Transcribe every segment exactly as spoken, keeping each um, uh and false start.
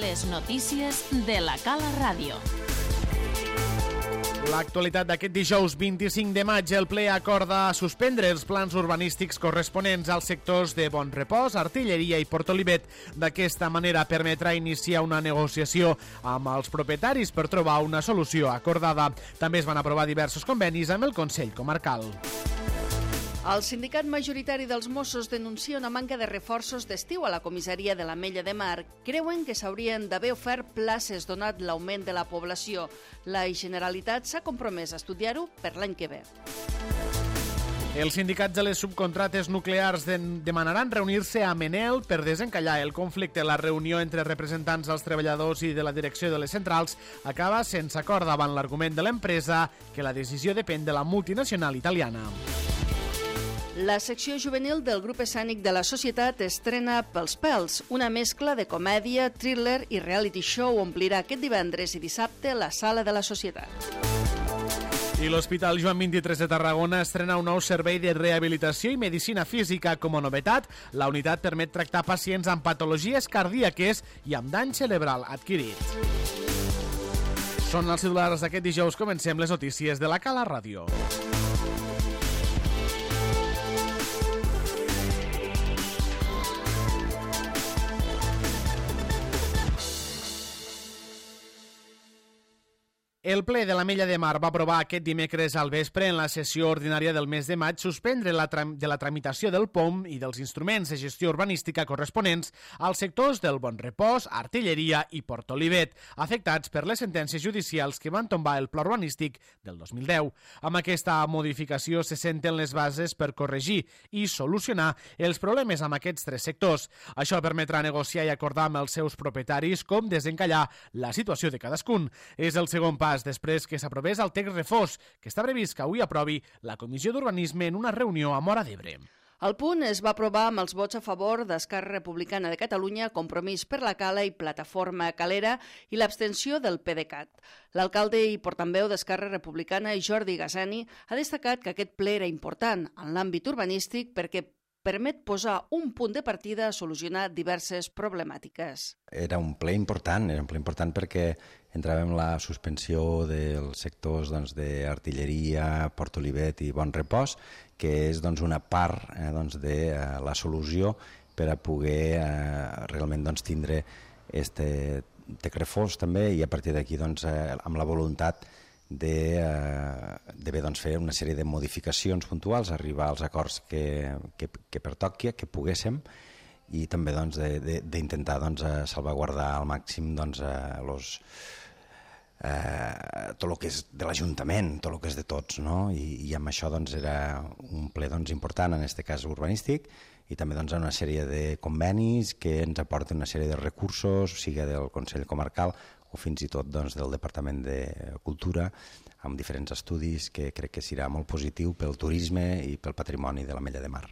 Les notícies de la Cala Ràdio. L'actualitat d'aquest dijous vint-i-cinc de maig, el ple acorda suspendre els plans urbanístics corresponents als sectors de Bonrepòs, Artilleria i Port Olivet. D'aquesta manera permetrà iniciar una negociació amb els propietaris per trobar una solució acordada. També es van aprovar diversos convenis amb el Consell Comarcal. El sindicat majoritari dels Mossos denuncia una manca de reforços d'estiu a la comissaria de l'Ametlla de Mar. Creuen que s'haurien d'haver ofert places donat l'augment de la població. La Generalitat s'ha compromès a estudiar-ho per l'any que ve. Els sindicats de les subcontrates nuclears demanaran reunir-se a Menel per desencallar el conflicte. La reunió entre representants dels treballadors i de la direcció de les centrals acaba sense acord davant l'argument de l'empresa que la decisió depèn de la multinacional italiana. La secció juvenil del grup escènic de la Societat estrena Pels pèls, una mescla de comèdia, thriller i reality show omplirà aquest divendres i dissabte la sala de la Societat. I l'Hospital Joan vint-i-tres de Tarragona estrena un nou servei de rehabilitació i medicina física. Com a novetat, la unitat permet tractar pacients amb patologies cardíaques i amb dany cerebral adquirit. Són els titulars d'aquest dijous. Comencem les notícies de la Cala Ràdio. El ple de l'Ametlla de Mar va aprovar aquest dimecres al vespre en la sessió ordinària del mes de maig suspendre la tram- de la tramitació del P O M i dels instruments de gestió urbanística corresponents als sectors del Bonrepòs, Artilleria i Port Olivet, afectats per les sentències judicials que van tombar el pla urbanístic del dos mil deu. Amb aquesta modificació se senten les bases per corregir i solucionar els problemes amb aquests tres sectors. Això permetrà negociar i acordar amb els seus propietaris com desencallar la situació de cadascun. És el segon pas després que s'aprovés el text refós, que està previst que avui aprovi la Comissió d'Urbanisme en una reunió a Móra d'Ebre. El punt es va aprovar amb els vots a favor d'Esquerra Republicana de Catalunya, Compromís per la Cala i Plataforma Calera i l'abstenció del PDeCAT. L'alcalde i portaveu d'Esquerra Republicana, Jordi Gassani, ha destacat que aquest ple era important en l'àmbit urbanístic perquè permet posar un punt de partida a solucionar diverses problemàtiques. Era un ple important, era un ple important perquè entràvem la suspensió dels sectors doncs, d'artilleria, Port Olivet i Bonrepòs, que és doncs, una part eh, doncs, de eh, la solució per a poder eh, realment doncs, tindre este text refós també i a partir d'aquí doncs, eh, amb la voluntat de, eh, de bé, doncs, fer una sèrie de modificacions puntuals, arribar als acords que, que, que pertoqui, que poguéssim, i també doncs, d'intentar doncs, salvaguardar al màxim doncs, eh, los, eh, tot el que és de l'Ajuntament, tot el que és de tots, no? I, i amb això doncs, era un ple doncs, important, en aquest cas urbanístic, i també doncs, una sèrie de convenis que ens aporten una sèrie de recursos, sigui del Consell Comarcal o fins i tot doncs, del Departament de Cultura, amb diferents estudis que crec que serà molt positiu pel turisme i pel patrimoni de l'Ametlla de Mar.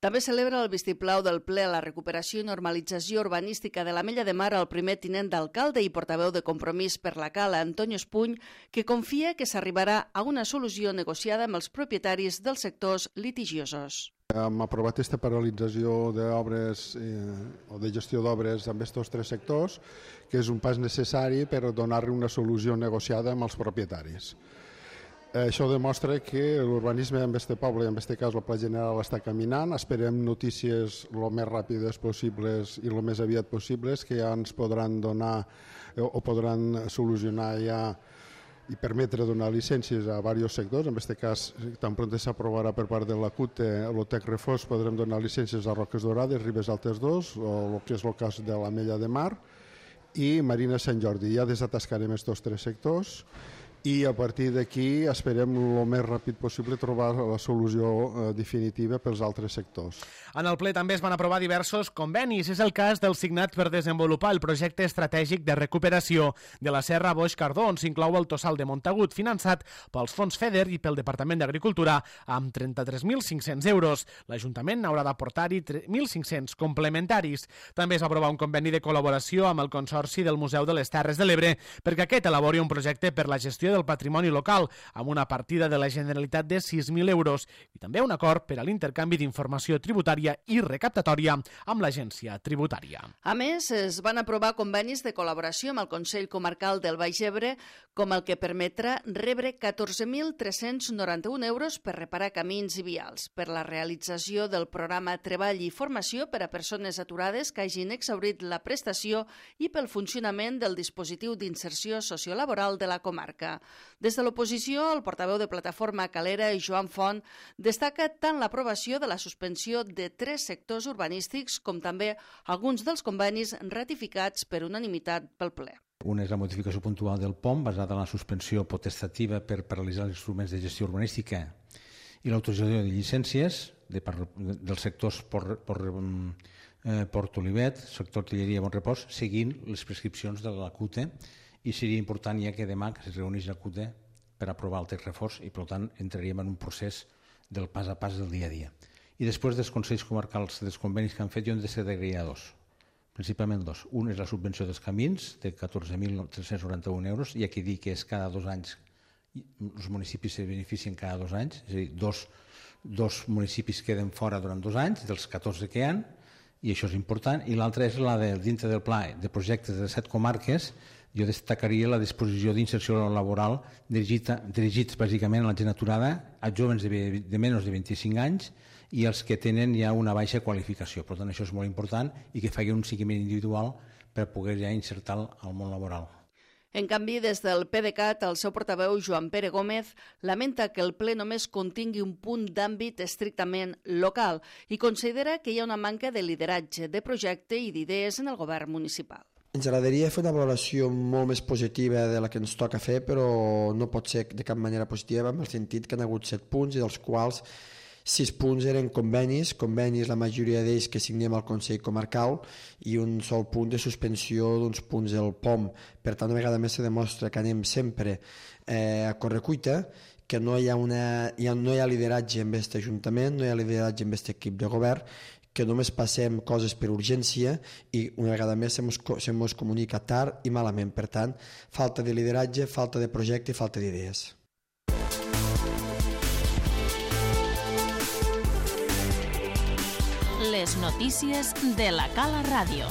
També celebra el vistiplau del ple a la recuperació i normalització urbanística de l'Ametlla de Mar el primer tinent d'alcalde i portaveu de Compromís per la Cala, Antonio Espuny, que confia que s'arribarà a una solució negociada amb els propietaris dels sectors litigiosos. Hem aprovat aquesta paralització d'obres eh, o de gestió d'obres amb aquests tres sectors, que és un pas necessari per donar-li una solució negociada amb els propietaris. Això demostra que l'urbanisme en aquest poble, en aquest cas el Pla General, està caminant. Esperem notícies el més ràpides possibles i el més aviat possibles que ja ens podran donar o podran solucionar ja i permetre donar llicències a diversos sectors. En aquest cas, tan pront s'aprovarà per part de la C U T el text refós, podrem donar llicències a Roques Dorades, Ribes Altes dos, o el que és el cas de l'Ametlla de Mar, i Marina Sant Jordi. Ja desatascarem aquests tres sectors i a partir d'aquí esperem el més ràpid possible trobar la solució eh, definitiva pels altres sectors. En el ple també es van aprovar diversos convenis. És el cas del signat per desenvolupar el projecte estratègic de recuperació de la Serra Boix Cardó, on s'inclou el Tossal de Montagut, finançat pels fons FEDER i pel Departament d'Agricultura amb trenta-tres mil cinc-cents euros. L'Ajuntament haurà d'aportar-hi mil cinc-cents complementaris. També es va aprovar un conveni de col·laboració amb el Consorci del Museu de les Terres de l'Ebre perquè aquest elabori un projecte per la gestió del patrimoni local, amb una partida de la Generalitat de sis mil euros, i també un acord per a l'intercanvi d'informació tributària i recaptatòria amb l'Agència Tributària. A més, es van aprovar convenis de col·laboració amb el Consell Comarcal del Baix Ebre, com el que permetrà rebre catorze mil tres-cents noranta-un euros per reparar camins i vials, per la realització del programa Treball i Formació per a persones aturades que hagin exhaurit la prestació i pel funcionament del dispositiu d'inserció sociolaboral de la comarca. Des de l'oposició, el portaveu de Plataforma Calera, Joan Font, destaca tant l'aprovació de la suspensió de tres sectors urbanístics com també alguns dels convenis ratificats per unanimitat pel ple. Una és la modificació puntual del P O M, basada en la suspensió potestativa per paralitzar els instruments de gestió urbanística i l'autorització de llicències de, per, dels sectors por, por, eh, Port Olivet, sector artilleria i Bon Repòs, seguint les prescripcions de la C U T E, i seria important ja que demà que es reuneix la C U T E per aprovar el text reforç i, per tant, entraríem en un procés del pas a pas del dia a dia. I després dels Consells Comarcals, dels convenis que han fet, jo en de ser d'agrair dos, principalment dos. Un és la subvenció dels camins, de catorze mil tres-cents noranta-un euros, i aquí dic que és cada dos anys, els municipis se beneficien cada dos anys, és a dir, dos, dos municipis queden fora durant dos anys, dels catorze que hi ha, i això és important. I l'altra és la de, dintre del pla de projectes de set comarques, jo destacaria la disposició d'inserció laboral dirigida, dirigits bàsicament a la gent aturada, a joves de, de menys de vint-i-cinc anys i els que tenen ja una baixa qualificació. Per tant, això és molt important i que faci un seguiment individual per poder ja insertar al món laboral. En canvi, des del PDeCAT, el seu portaveu, Joan Pere Gómez, lamenta que el ple només contingui un punt d'àmbit estrictament local i considera que hi ha una manca de lideratge, de projecte i d'idees en el govern municipal. Ens agradaria fer una valoració molt més positiva de la que ens toca fer, però no pot ser de cap manera positiva, en el sentit que han hagut set punts i dels quals sis punts eren convenis, convenis la majoria d'ells que signem al Consell Comarcal i un sol punt de suspensió d'uns punts del P O M. Per tant, una vegada més se demostra que anem sempre eh, a correcuita, que no hi ha, una, hi ha, no hi ha lideratge en aquest Ajuntament, no hi ha lideratge en aquest equip de govern, que només passem coses per urgència i una vegada més se mos, se mos comunica tard i malament. Per tant, falta de lideratge, falta de projecte i falta d'idees. Les notícies de la Cala Ràdio.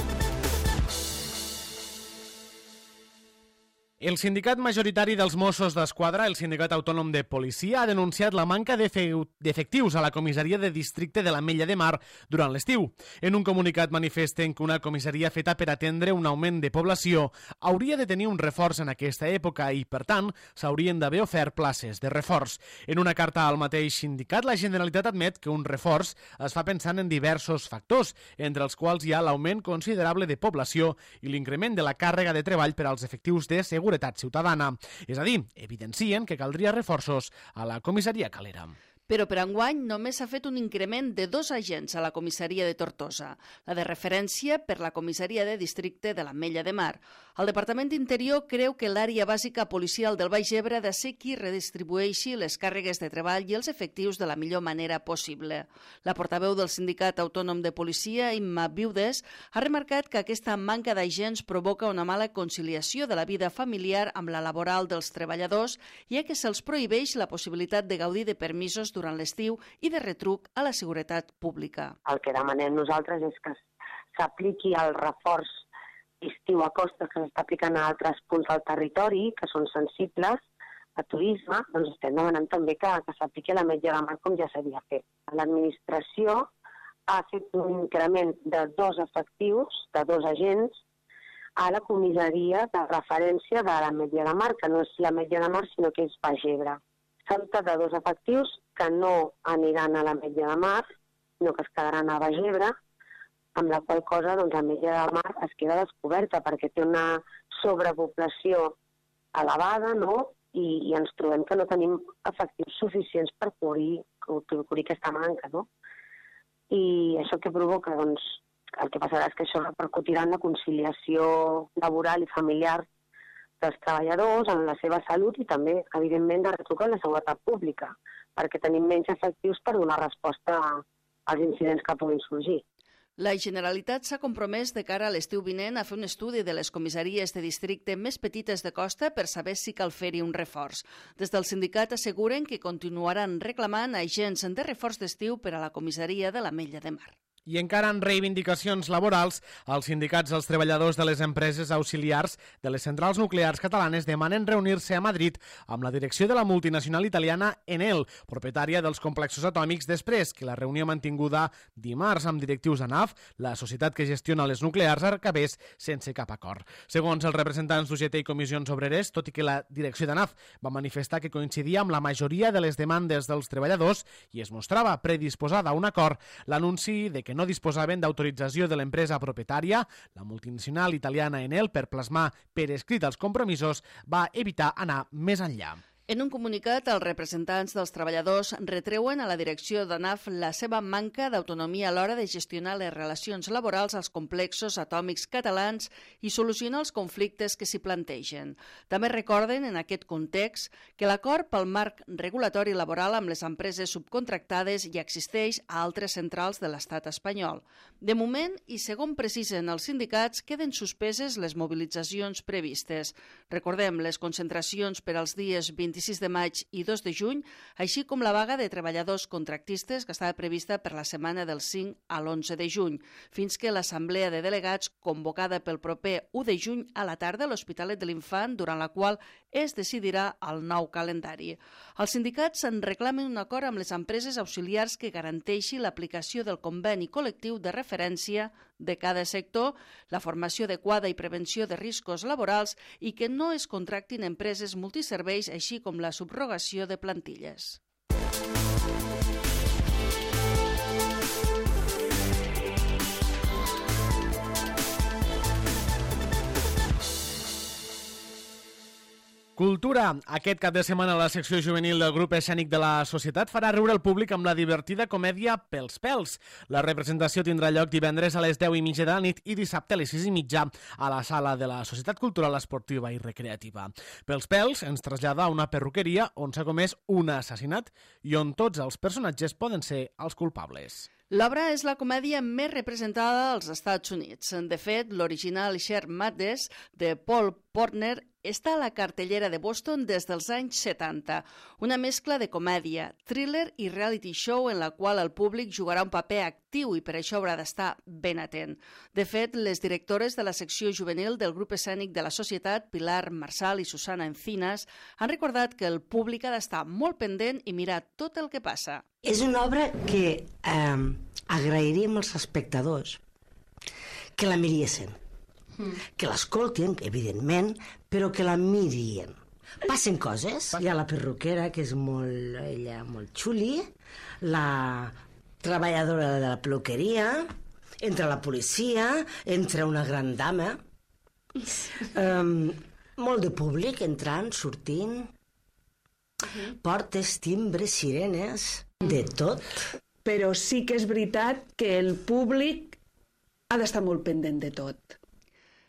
El sindicat majoritari dels Mossos d'Esquadra, el Sindicat Autònom de Policia, ha denunciat la manca d'efectius a la comissaria de districte de l'Ametlla de Mar durant l'estiu. En un comunicat manifesten que una comissaria feta per atendre un augment de població hauria de tenir un reforç en aquesta època i, per tant, s'haurien d'haver ofert places de reforç. En una carta al mateix sindicat, la Generalitat admet que un reforç es fa pensant en diversos factors, entre els quals hi ha l'augment considerable de població i l'increment de la càrrega de treball per als efectius de seguretat ciutadana. És a dir, evidencien que caldria reforços a la comissaria Calera. Però per enguany només s'ha fet un increment de dos agents a la comissaria de Tortosa, la de referència per la comissaria de districte de l'Ametlla de Mar. El Departament d'Interior creu que l'àrea bàsica policial del Baix Ebre ha de ser qui redistribueixi les càrregues de treball i els efectius de la millor manera possible. La portaveu del Sindicat Autònom de Policia, Imma Viudes, ha remarcat que aquesta manca d'agents provoca una mala conciliació de la vida familiar amb la laboral dels treballadors, ja que se'ls prohibeix la possibilitat de gaudir de permisos durant l'estiu i de retruc a la seguretat pública. El que demanem nosaltres és que s'apliqui el reforç estiu a costes que s'està aplicant a altres punts del territori, que són sensibles a turisme, doncs estem demanant també que, que s'apliqui a l'Ametlla de Mar com ja s'havia fet. L'administració ha fet un increment de dos efectius, de dos agents, a la comissaria de referència de l'Ametlla de Mar, que no és l'Ametlla de Mar, sinó que és Baix Ebre. S'ha dotat de dos efectius que no aniran a l'Ametlla de Mar, sinó que es quedaran a Baix Ebre, amb la qual cosa doncs, l'Ametlla de Mar es queda descoberta perquè té una sobrepoblació elevada, no? I, i ens trobem que no tenim efectius suficients per cobrir, cobrir aquesta manca, no? I això què provoca? Doncs el que passarà és que això repercutirà en la conciliació laboral i familiar dels treballadors, en la seva salut i també, evidentment, de retruc en la seguretat pública, perquè tenim menys efectius per donar resposta als incidents que puguin sorgir. La Generalitat s'ha compromès de cara a l'estiu vinent a fer un estudi de les comissaries de districte més petites de costa per saber si cal fer-hi un reforç. Des del sindicat asseguren que continuaran reclamant agents de reforç d'estiu per a la comissaria de l'Ametlla de Mar. I encara en reivindicacions laborals, els sindicats dels treballadors de les empreses auxiliars de les centrals nuclears catalanes demanen reunir-se a Madrid amb la direcció de la multinacional italiana Enel, propietària dels complexos atòmics, després que la reunió mantinguda dimarts amb directius de N A F, la societat que gestiona les nuclears, acabés sense cap acord. Segons els representants d'U G T i Comissions Obreres, tot i que la direcció de N A F va manifestar que coincidia amb la majoria de les demandes dels treballadors i es mostrava predisposada a un acord, l'anunci de que no disposaven d'autorització de l'empresa propietària, la multinacional italiana Enel, per plasmar per escrit els compromisos, va evitar anar més enllà. En un comunicat, els representants dels treballadors retreuen a la direcció de N A F la seva manca d'autonomia a l'hora de gestionar les relacions laborals als complexos atòmics catalans i solucionar els conflictes que s'hi plantegen. També recorden, en aquest context, que l'acord pel marc regulatori laboral amb les empreses subcontractades ja existeix a altres centrals de l'estat espanyol. De moment, i segons precisen els sindicats, queden suspeses les mobilitzacions previstes. Recordem les concentracions per als dies vint-i-sis de maig i dos de juny, així com la vaga de treballadors contractistes que estava prevista per la setmana del cinc a l'onze de juny, fins que l'assemblea de delegats convocada pel proper u de juny a la tarda a l'Hospitalet de l'Infant, durant la qual es decidirà el nou calendari. Els sindicats en reclamen un acord amb les empreses auxiliars que garanteixi l'aplicació del conveni col·lectiu de referència de cada sector, la formació adequada i prevenció de riscos laborals i que no es contractin empreses multiserveis, així com la subrogació de plantilles. Cultura. Aquest cap de setmana la secció juvenil del grup escènic de la Societat farà riure el públic amb la divertida comèdia Pels Pèls. La representació tindrà lloc divendres a les deu i mitja de la nit i dissabte a les sis i mitja a la sala de la Societat Cultural Esportiva i Recreativa. Pels Pèls ens trasllada a una perruqueria on s'ha comès un assassinat i on tots els personatges poden ser els culpables. L'obra és la comèdia més representada als Estats Units. De fet, l'original Sharp Madness de Paul Portner està a la cartellera de Boston des dels anys setanta. Una mescla de comèdia, thriller i reality show en la qual el públic jugarà un paper actiu i per això haurà d'estar ben atent. De fet, les directores de la secció juvenil del grup escènic de la Societat, Pilar Marsal i Susana Encinas, han recordat que el públic ha d'estar molt pendent i mirar tot el que passa. És una obra que eh, agrairíem als espectadors que la miriessen, mm. que l'escoltin, evidentment, però que la mirien. Passen coses. Hi ha la perruquera, que és molt, ella, molt xuli, la treballadora de la peluqueria, entra la policia, entra una gran dama, um, molt de públic entrant, sortint, uh-huh. portes, timbres, sirenes, de tot. Però sí que és veritat que el públic ha d'estar molt pendent de tot.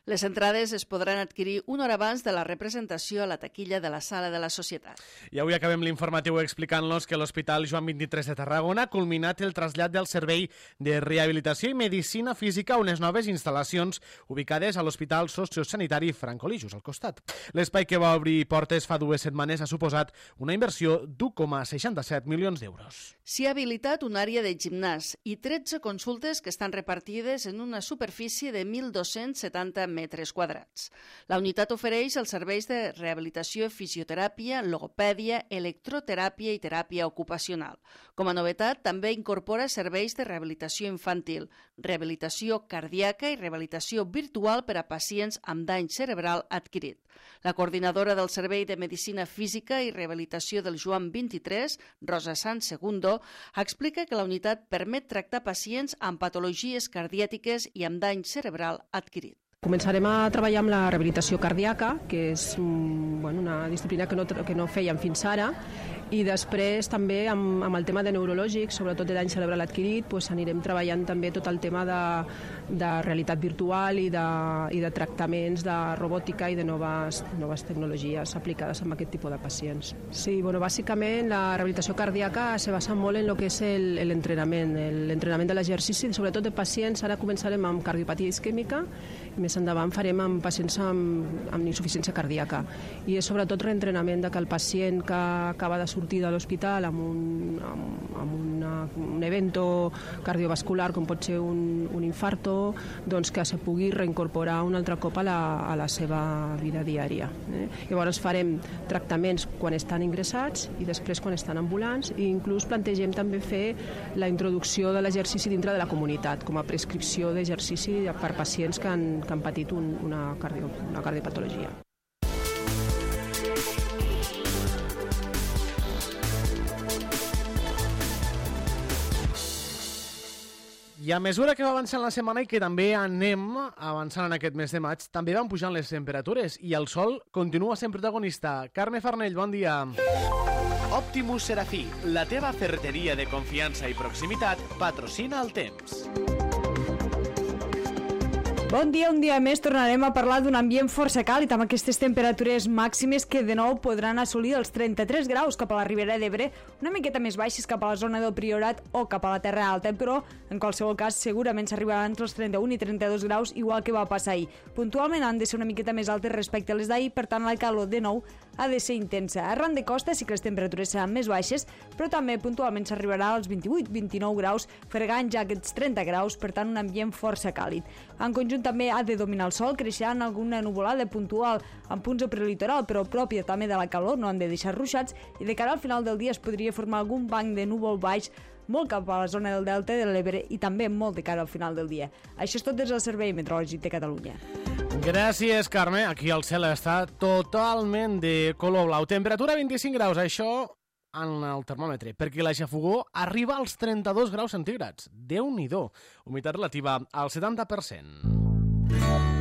Les entrades es podran adquirir una hora abans de la representació a la taquilla de la Sala de la Societat. I avui acabem l'informatiu explicant-los que l'Hospital Joan vint-i-tres de Tarragona ha culminat el trasllat del Servei de Rehabilitació i Medicina Física a unes noves instal·lacions ubicades a l'Hospital Sociosanitari Franco Lijos, al costat. L'espai que va obrir portes fa dues setmanes ha suposat una inversió d'u coma seixanta-set milions d'euros. S'hi ha habilitat una àrea de gimnàs i tretze consultes que estan repartides en una superfície de mil dos-cents setanta metres quadrats. La unitat ofereix els serveis de rehabilitació, fisioteràpia, logopèdia, electroteràpia i teràpia ocupacional. Com a novetat, també incorpora serveis de rehabilitació infantil, rehabilitació cardíaca i rehabilitació virtual per a pacients amb dany cerebral adquirit. La coordinadora del Servei de Medicina Física i Rehabilitació del Joan vint-i-tres, Rosa Sanz Segundo, explica que la unitat permet tractar pacients amb patologies cardiàtiques i amb dany cerebral adquirit. Començarem a treballar amb la rehabilitació cardíaca, que és bueno, una disciplina que no, que no fèiem fins ara, I després també amb, amb el tema de neurològic, sobretot de dany cerebral adquirit, doncs anirem treballant també tot el tema de, de realitat virtual i de, i de tractaments de robòtica i de noves, noves tecnologies aplicades a aquest tipus de pacients. Sí, bueno, bàsicament la rehabilitació cardíaca se basa molt en el que és l'entrenament, l'entrenament de l'exercici, sobretot de pacients. Ara començarem amb cardiopatia isquèmica i més endavant farem amb pacients amb, amb insuficiència cardíaca. I és sobretot reentrenament de que el pacient que acaba de sortir de l'hospital amb, un, amb, amb una, un evento cardiovascular com pot ser un, un infarto, doncs que se pugui reincorporar un altre cop a la, a la seva vida diària. Eh? Llavors farem tractaments quan estan ingressats i després quan estan ambulants, i inclús plantegem també fer la introducció de l'exercici dintre de la comunitat com a prescripció d'exercici per pacients que han, que han patit un, una, cardio, una cardiopatologia. I a mesura que va avançant la setmana i que també anem avançant en aquest mes de maig, també van pujant les temperatures i el sol continua sent protagonista. Carme Farnell, bon dia. Optimus Serafí, la teva ferreteria de confiança i proximitat, patrocina el temps. Bon dia, un dia més tornarem a parlar d'un ambient força càlid amb aquestes temperatures màximes que de nou podran assolir els trenta-tres graus cap a la Ribera d'Ebre, una miqueta més baixes cap a la zona del Priorat o cap a la Terra Alta, però en qualsevol cas segurament s'arribarà entre els trenta-un i trenta-dos graus, igual que va passar ahir. Puntualment han de ser una miqueta més altes respecte a les d'ahir, per tant la calor de nou ha de ser intensa. Arran de costa sí que les temperatures seran més baixes, però també puntualment s'arribarà als vint-i-vuit vint-i-nou graus, fregant ja aquests trenta graus, per tant un ambient força càlid. En conjunt també ha de dominar el sol, creixeran alguna nuvolada puntual en punts de prelitoral, però pròpia també de la calor, no han de deixar ruixats, i de cara al final del dia es podria formar algun banc de núvol baix molt cap a la zona del Delta de l'Ebre i també molt de cara al final del dia. Això és tot des del Servei Meteorològic de Catalunya. Gràcies, Carme. Aquí el cel està totalment de color blau. Temperatura vint-i-cinc graus, això en el termòmetre, perquè la xafogó arriba als trenta-dos graus centígrads. Déu-n'hi-do. Humitat relativa al setanta per cent.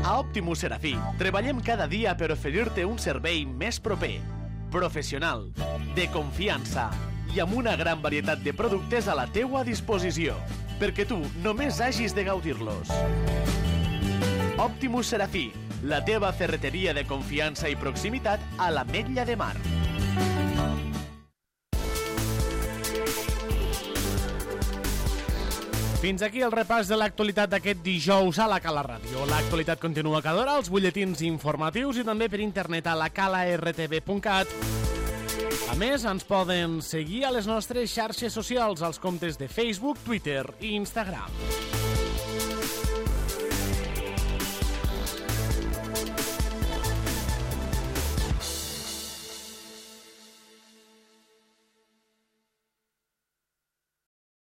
A Optimus Serafí treballem cada dia per oferir-te un servei més proper, professional, de confiança i amb una gran varietat de productes a la teua disposició, perquè tu només hagis de gaudir-los. Optimus Serafí, la teva ferreteria de confiança i proximitat a l'Ametlla de Mar. Fins aquí el repàs de l'actualitat d'aquest dijous a la Cala Ràdio. L'actualitat continua cada hora, els butlletins informatius i també per internet a la cala r t v punt cat. A més, ens poden seguir a les nostres xarxes socials, als comptes de Facebook, Twitter i Instagram.